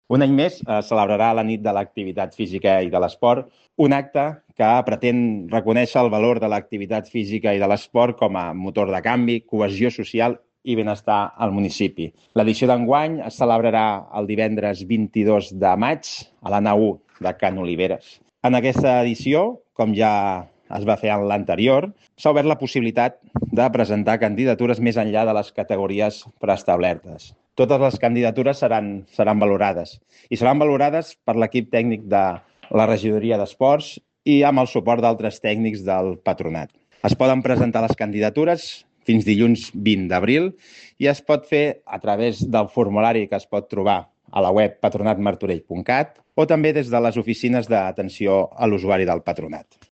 Un any més celebrarà la nit de l'activitat física i de l'esport, un acte que pretén reconèixer el valor de l'activitat física i de l'esport com a motor de canvi, cohesió social i benestar al municipi. L'edició d'enguany es celebrarà el divendres 22 de maig a la nau 1 de Can Oliveres. En aquesta edició, com ja es va fer en l'anterior, s'ha obert la possibilitat de presentar candidatures més enllà de les categories preestablertes. Totes les candidatures seran valorades i seran valorades per l'equip tècnic de la regidoria d'esports i amb el suport d'altres tècnics del patronat. Es poden presentar les candidatures fins dilluns 20 d'abril i es pot fer a través del formulari que es pot trobar a la web patronatmartorell.cat o també des de les oficines d'atenció a l'usuari del patronat.